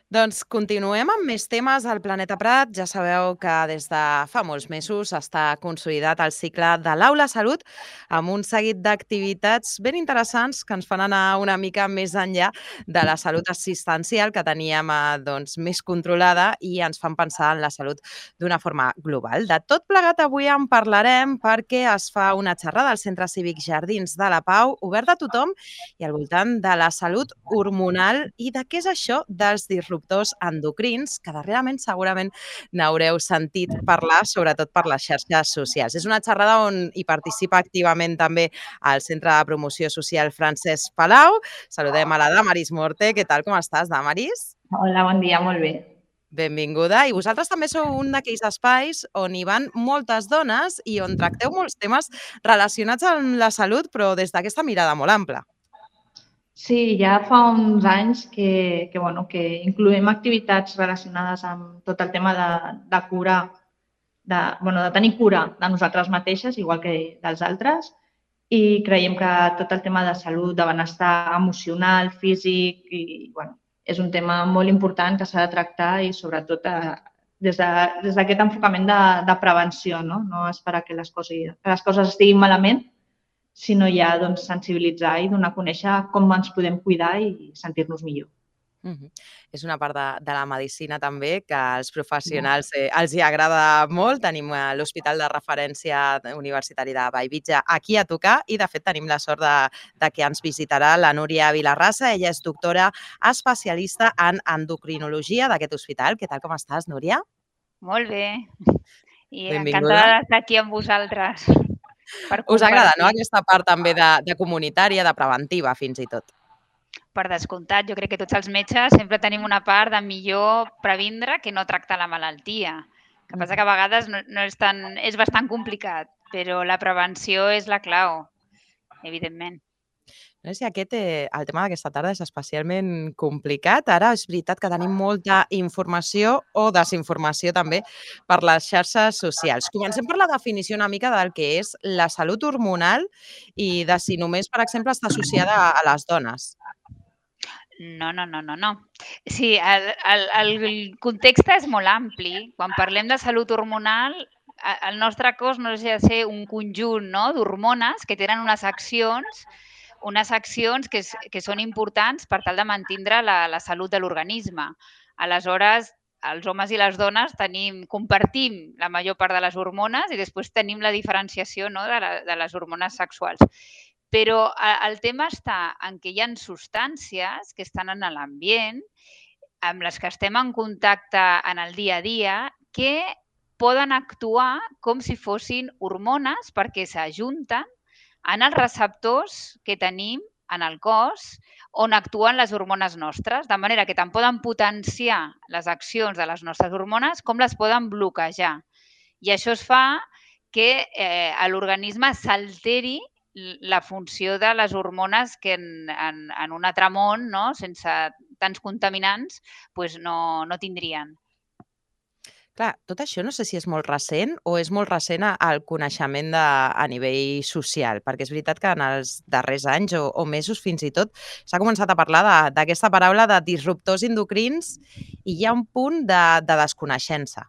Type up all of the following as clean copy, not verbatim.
Doncs continuem amb més temes al Planeta Prat. Ja sabeu que des de fa molts mesos està consolidat el cicle de l'Aula Salut amb un seguit d'activitats ben interessants que ens fan anar una mica més enllà de la salut assistencial que teníem més controlada i ens fan pensar en la salut d'una forma global. De tot plegat avui en parlarem perquè es fa una xerrada al Centre Cívic Jardins de la Pau, obert a tothom i al voltant de la salut hormonal i de què és això dels disruptors endocrins, que darrerament segurament n'haureu sentit parlar, sobretot per les xarxes socials. És una xerrada on hi participa activament també el Centre de Promoció Social Francesc Palau. Saludem a la Damaris Morte. Què tal, com estàs, Damaris? Hola, bon dia, molt bé. Benvinguda. I vosaltres també sou un d'aquells espais on hi van moltes dones i on tracteu molts temes relacionats amb la salut, però des d'aquesta mirada molt ampla. Sí, ja fa uns anys que incloem activitats relacionades amb tot el tema de cura, de tenir cura de nosaltres mateixes, igual que dels altres, i creiem que tot el tema de salut, de benestar emocional, físic, és un tema molt important que s'ha de tractar i sobretot des d'aquest enfocament de prevenció, no? No esperar que les coses estiguin malament, sinó ja sensibilitzar i donar a conèixer com ens podem cuidar i sentir-nos millor. És una part de la medicina també que als professionals els hi agrada molt. Tenim l'Hospital de Referència Universitari de Bellvitge aquí a tocar i, de fet, tenim la sort de que ens visitarà la Núria Vilarrasa. Ella és doctora especialista en endocrinologia d'aquest hospital. Què tal, com estàs, Núria? Molt bé. I Benvinguda. encantada d'estar aquí amb vosaltres per Us agrada, no?, compartir. aquesta part també de comunitària, de preventiva, fins i tot. Per descomptat, jo crec que tots els metges sempre tenim una part de millor previndre que no tractar la malaltia. El que passa que a vegades no és tan... és bastant complicat, però la prevenció és la clau, evidentment. No sé si el tema d'aquesta tarda és especialment complicat. Ara és veritat que tenim molta informació o desinformació també per les xarxes socials. Comencem per la definició una mica del que és la salut hormonal i de si només, per exemple, està associada a les dones. No. Sí, el context és molt ampli. Quan parlem de salut hormonal, el nostre cos no deixa de ser un conjunt, no?, d'hormones que tenen unes accions que són importants per tal de mantindre la salut de l'organisme. Aleshores, els homes i les dones compartim la major part de les hormones i després tenim la diferenciació, no?, de les hormones sexuals. Però el tema està en que hi ha substàncies que estan en l'ambient, amb les que estem en contacte en el dia a dia, que poden actuar com si fossin hormones perquè s'ajunten en els receptors que tenim en el cos on actuen les hormones nostres, de manera que tant poden potenciar les accions de les nostres hormones com les poden bloquejar. I això es fa que a l'organisme s'alteri la funció de les hormones que en un altre món, no?, sense tants contaminants, doncs no tindrien. Clar, tot això no sé si és molt recent o és molt recent al coneixement a nivell social, perquè és veritat que en els darrers anys o mesos fins i tot s'ha començat a parlar d'aquesta paraula de disruptors endocrins i hi ha un punt de desconeixença.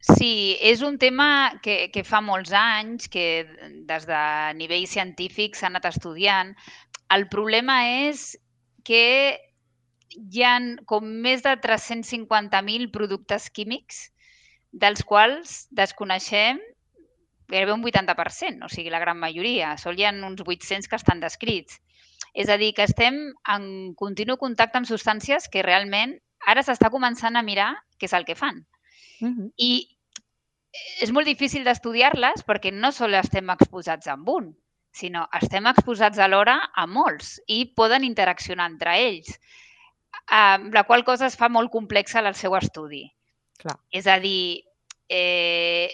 Sí, és un tema que fa molts anys, que des de nivell científic s'ha anat estudiant. El problema és que hi ha com més de 350.000 productes químics dels quals desconeixem gairebé un 80%, o sigui, la gran majoria. Sols hi ha uns 800 que estan descrits. És a dir, que estem en continu contacte amb substàncies que realment ara s'està començant a mirar què és el que fan. I és molt difícil d'estudiar-les perquè no sols estem exposats amb un, sinó estem exposats alhora a molts i poden interaccionar entre ells, la qual cosa es fa molt complexa el seu estudi. Clar. És a dir,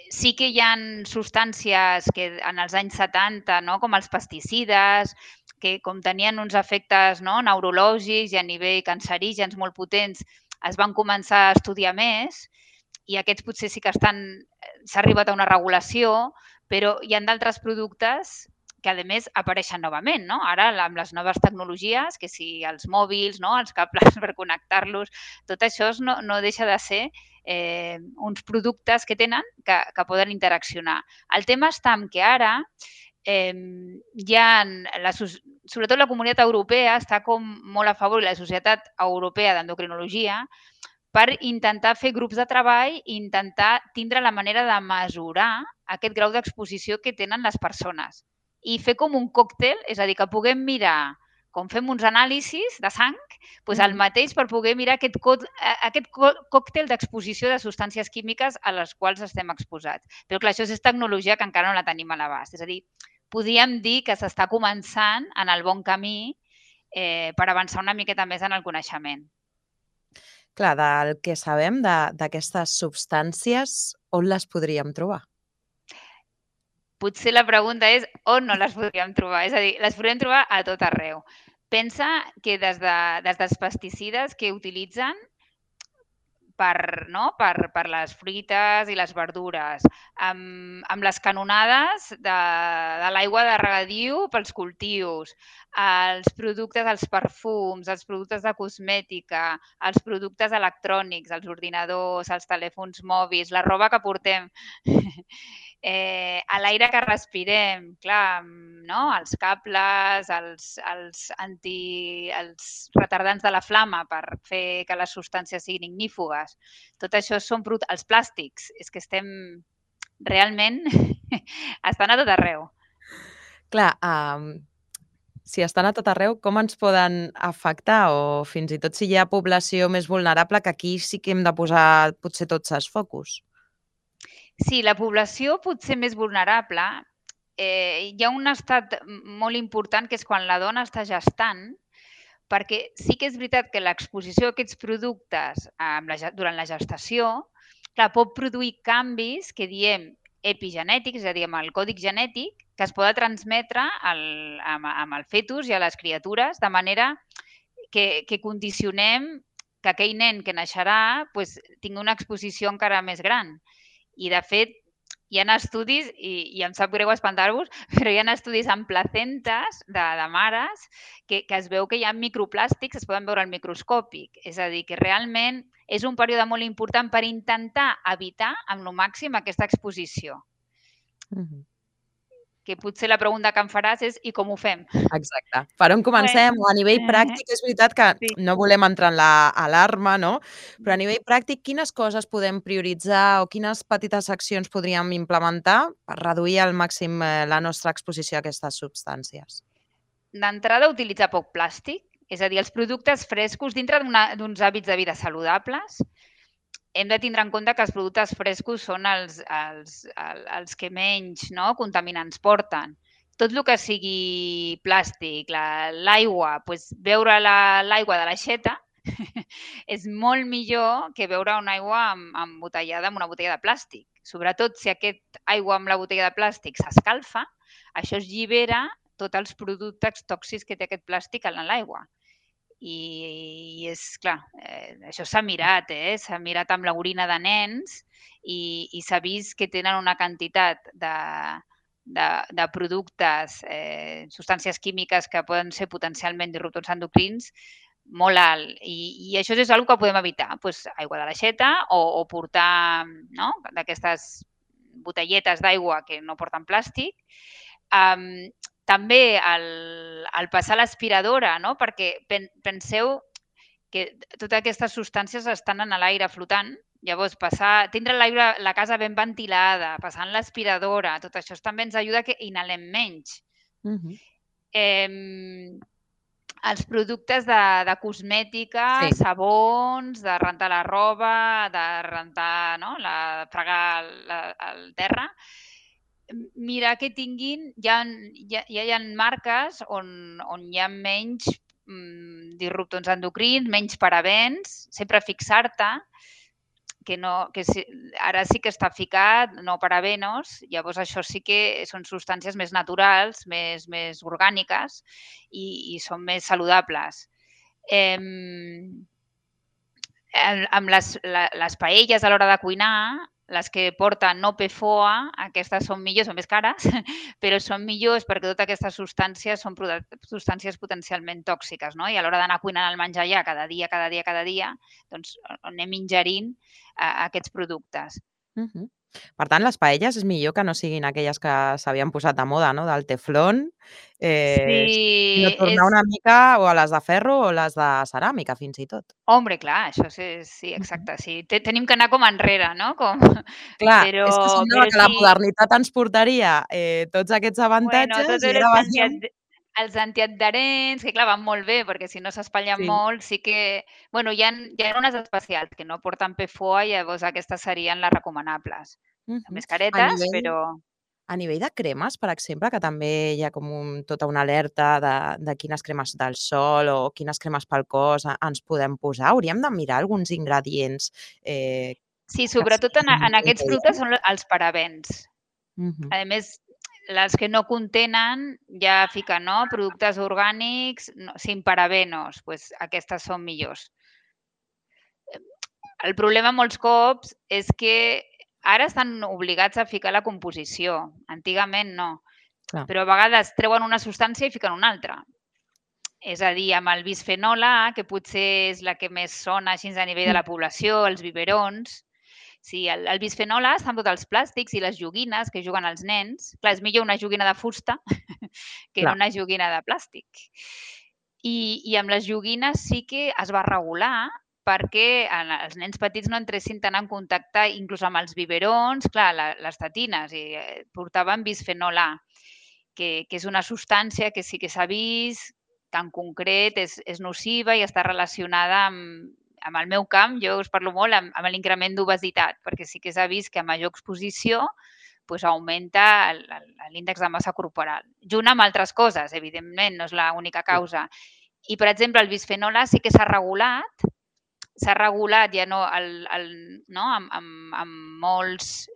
sí que hi ha substàncies que en els anys 70, no?, com els pesticides, que com tenien uns efectes, no?, neurològics i a nivell cancerígens molt potents, es van començar a estudiar més i aquests potser sí que s'ha arribat a una regulació, però hi ha d'altres productes que a més apareixen novament, no? Ara, amb les noves tecnologies, que si els mòbils, no? Els cables per connectar-los, tot això no deixa de ser uns productes que tenen que poden interaccionar. El tema està en que ara sobretot la comunitat europea està com molt a favor, i la Societat Europea d'Endocrinologia, per intentar fer grups de treball i intentar tindre la manera de mesurar aquest grau d'exposició que tenen les persones. I fer com un còctel, és a dir, que puguem mirar, com fem uns anàlisis de sang, doncs el mateix per poder mirar aquest còctel d'exposició de substàncies químiques a les quals estem exposats. Però clar, això és tecnologia que encara no la tenim a l'abast. És a dir, podríem dir que s'està començant en el bon camí per avançar una miqueta més en el coneixement. Clar, del que sabem d'aquestes substàncies, on les podríem trobar? Potser la pregunta és on no les podríem trobar. És a dir, les podríem trobar a tot arreu. Pensa que des dels pesticides que utilitzen per les fruites i les verdures, amb les canonades de l'aigua de regadiu pels cultius, els productes, els perfums, els productes de cosmètica, els productes electrònics, els ordinadors, els telèfons mòbils, la roba que portem, a l'aire que respirem, clar, no? Els cables, els retardants de la flama per fer que les substàncies siguin ignífugues. Tot això són els plàstics. És que estem realment... estan a tot arreu. Clar, si estan a tot arreu, com ens poden afectar? O fins i tot si hi ha població més vulnerable, que aquí sí que hem de posar potser tots els focus. Sí, la població potser més vulnerable, hi ha un estat molt important que és quan la dona està gestant, perquè sí que és veritat que l'exposició a aquests productes durant la gestació pot produir canvis que diem epigenètics, és a dir, amb el còdic genètic, que es poden transmetre amb el fetus i a les criatures, de manera que condicionem que aquell nen que naixerà tingui una exposició encara més gran. I, de fet, hi ha estudis, i em sap greu espantar-vos, però hi ha estudis amb placentes de mares que es veu que hi ha microplàstics, es poden veure al microscòpic. És a dir, que realment és un període molt important per intentar evitar amb el màxim aquesta exposició. Que potser la pregunta que em faràs és i com ho fem? Exacte. Per on comencem? A nivell pràctic, és veritat que no volem entrar en l'alarma, no? Però a nivell pràctic, quines coses podem prioritzar o quines petites accions podríem implementar per reduir al màxim la nostra exposició a aquestes substàncies? D'entrada, utilitzar poc plàstic, és a dir, els productes frescos dintre d'uns hàbits de vida saludables. Hem de tindre en compte que els productes frescos són els que menys contaminants porten. Tot el que sigui plàstic, l'aigua, beure l'aigua de l'aixeta és molt millor que beure una aigua embotellada amb una botella de plàstic. Sobretot si aquesta aigua amb la botella de plàstic s'escalfa, això es llibera tots els productes tòxics que té aquest plàstic en l'aigua. I és clar, això s'ha mirat, s'ha mirat amb l'orina de nens i s'ha vist que tenen una quantitat de productes, substàncies químiques que poden ser potencialment disruptors endocrins molt alt. I això és una cosa que podem evitar, aigua de l'aixeta o portar d'aquestes botelletes d'aigua que no porten plàstic. També el passar l'aspiradora, perquè penseu que totes aquestes substàncies estan en l'aire flotant. Llavors, tindre la casa ben ventilada, passant l'aspiradora, tot això també ens ajuda que inhalem menys. Els productes de cosmètica, sabons, de rentar la roba, de rentar, fregar el terra, mirar que tinguin, ja hi ha marques on hi ha menys disruptors endocrins, menys parabens, sempre fixar-te que ara sí que està ficat, no parabenos, llavors això sí que són substàncies més naturals, més orgàniques i són més saludables. Amb les paelles a l'hora de cuinar, les que porten no PFOA, aquestes són millors, són més cares, però són millors perquè totes aquestes substàncies són substàncies potencialment tòxiques, no? I a l'hora d'anar cuinant el menjar ja cada dia, doncs anem ingerint aquests productes. Per tant, les paelles és millor que no siguin aquelles que s'havien posat de moda, no? Del teflón, sinó tornar una mica o a les de ferro o les de ceràmica, fins i tot. Hombre, clar, això sí, exacte. Sí. Tenim que anar com enrere, no? Clar, però, és que semblava que la modernitat ens portaria tots aquests avantatges i ara veiem... Els antiadherents, que clar, van molt bé, perquè si no s'espatllen molt, sí que... Bueno, hi ha unes especials que no porten PFOA i llavors aquestes serien les recomanables. Més caretes, però... A nivell de cremes, per exemple, que també hi ha com tota una alerta de quines cremes del sol o quines cremes pel cos ens podem posar, hauríem de mirar alguns ingredients. Sí, sobretot en aquests productes són els parabens. A més, les que no contenen ja fiquen, no? Productes orgànics sin parabenos, pues aquestes són millors. El problema molts cops és que ara estan obligats a ficar la composició. Antigament no. Però a vegades treuen una substància i fiquen una altra. És a dir, amb el bisfenol A, que potser és la que més sona així a nivell de la població, els biberons. Sí, el bisfenol A està en tots els plàstics i les joguines que juguen els nens. Clar, és millor una joguina de fusta que una joguina de plàstic. I amb les joguines sí que es va regular perquè els nens petits no entressin tant en contacte, inclús amb els biberons, clar, les tetines, i portaven bisfenol A, que és una substància que sí que s'ha vist que en concret és nociva i està relacionada amb el meu camp. Jo us parlo molt amb l'increment d'obesitat, perquè sí que s'ha vist que a major exposició augmenta l'índex de massa corporal. Junt amb altres coses, evidentment, no és l'única causa. I, per exemple, el bisfenol A sí que s'ha regulat ja amb molts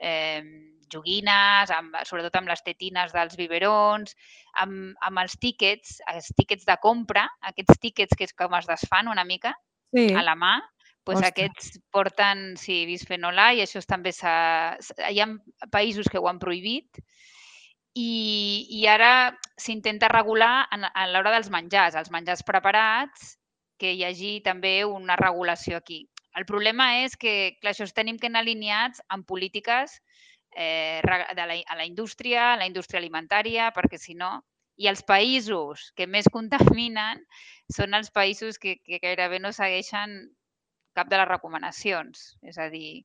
joguines, sobretot amb les tetines dels biberons, amb els tíquets de compra, aquests tíquets que és com es desfan una mica a la mà, doncs aquests porten bisfenol A i això també hi ha països que ho han prohibit i ara s'intenta regular a l'hora dels menjars, els menjars preparats, que hi hagi també una regulació aquí. El problema és que, clar, això tenim que anar alineats amb polítiques a la indústria alimentària, perquè si no... I els països que més contaminen són els països que gairebé no segueixen cap de les recomanacions. És a dir,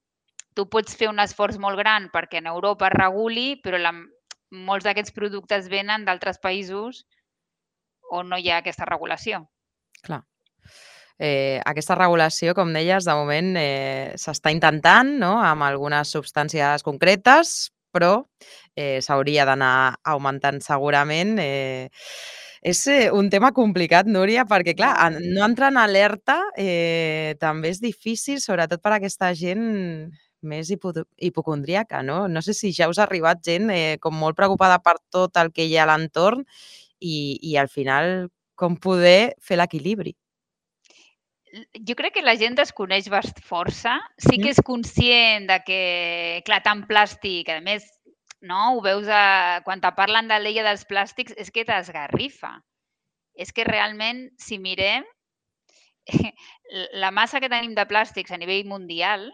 tu pots fer un esforç molt gran perquè en Europa es reguli, però molts d'aquests productes venen d'altres països on no hi ha aquesta regulació. Clar. Aquesta regulació, com deies, de moment s'està intentant, no?, amb algunes substàncies concretes, però s'hauria d'anar augmentant segurament. És un tema complicat, Núria, perquè, clar, no entrar en alerta també és difícil, sobretot per aquesta gent més hipocondríaca, no? No sé si ja us ha arribat gent com molt preocupada per tot el que hi ha a l'entorn i al final com poder fer l'equilibri. Jo crec que la gent desconeix força. Sí que és conscient de que, clar, tant plàstic, a més, no, ho veus quan te parlen de l'ella dels plàstics, és que t'esgarrifa. És que realment, si mirem, la massa que tenim de plàstics a nivell mundial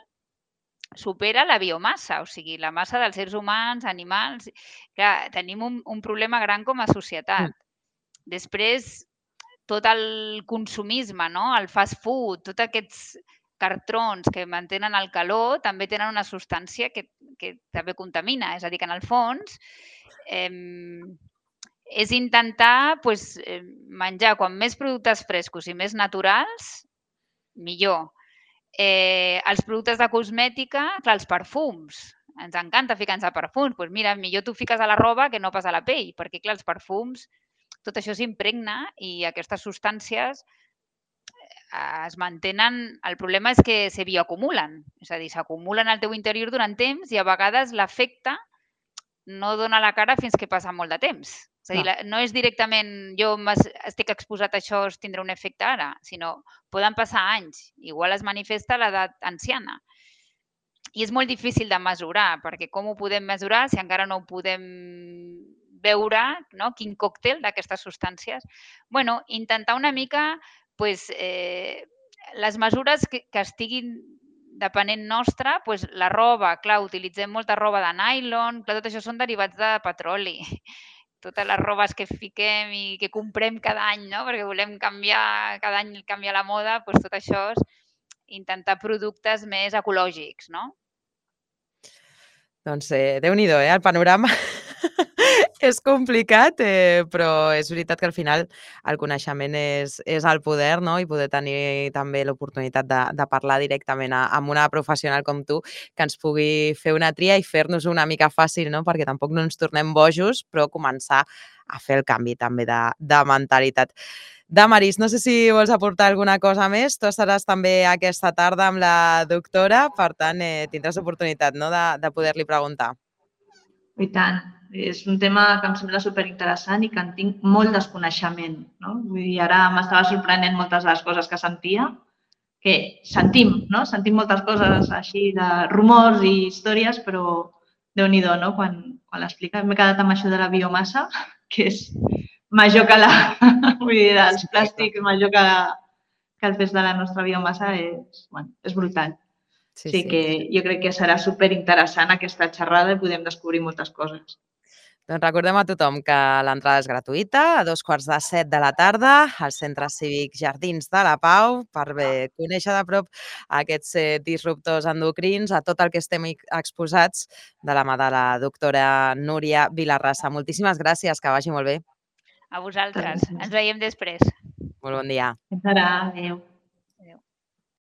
supera la biomassa, o sigui, la massa dels éssers humans, animals... Clar, tenim un problema gran com a societat. Després, tot el consumisme, no? El fast food, tots aquests cartrons que mantenen el calor també tenen una substància que també contamina. És a dir, que en el fons és intentar menjar com més productes frescos i més naturals, millor. Els productes de cosmètica, clar, els perfums. Ens encanta ficar-nos a perfums. Doncs mira, millor t'ho fiques a la roba que no pas a la pell, perquè clar, els perfums tot això s'impregna i aquestes substàncies es mantenen... El problema és que se bioacumulen, és a dir, s'acumulen al teu interior durant temps i a vegades l'efecte no dona la cara fins que passa molt de temps. És a dir, no és directament jo estic exposat a això, tindré un efecte ara, sinó poden passar anys. Igual es manifesta a l'edat anciana. I és molt difícil de mesurar, perquè com ho podem mesurar si encara no ho podem veure, no? Quin còctel d'aquestes substàncies? Bueno, intentar una mica pues, les mesures que estiguin depenent nostra, pues, la roba, clar, utilitzem molta roba de nylon, clar, tot això són derivats de petroli. Totes les robes que fiquem i que comprem cada any, no? Perquè volem canviar, cada any canviar la moda, doncs tot això és intentar productes més ecològics, no? Doncs Déu-n'hi-do, el panorama és complicat, però és veritat que al final el coneixement és el poder, no? I poder tenir també l'oportunitat de parlar directament amb una professional com tu que ens pugui fer una tria i fer-nos una mica fàcil, no? Perquè tampoc no ens tornem bojos, però començar a fer el canvi també de mentalitat. Damaris, no sé si vols aportar alguna cosa més. Tu estaràs també aquesta tarda amb la doctora, per tant, tindràs oportunitat, no?, de poder-li preguntar. I tant. És un tema que em sembla superinteressant i que en tinc molt desconeixement, no? Vull dir, ara m'estava sorprenent moltes de les coses que sentia, que sentim, no? Sentim moltes coses així de rumors i històries, però Déu-n'hi-do, no? Quan l'explica, m'he quedat amb això de la biomassa, que és major que vull dir, dels plàstics, major que el pes de la nostra biomassa, és brutal. Sí que jo crec que serà superinteressant aquesta xerrada i podem descobrir moltes coses. Doncs recordem a tothom que l'entrada és gratuïta, a 14:45 de la tarda, al Centre Cívic Jardins de la Pau, per conèixer de prop aquests disruptors endocrins, a tot el que estem exposats de la mà de la doctora Núria Vilarrasa. Moltíssimes gràcies, que vagi molt bé. A vosaltres. Ens veiem després. Molt bon dia. Fins ara. Adéu.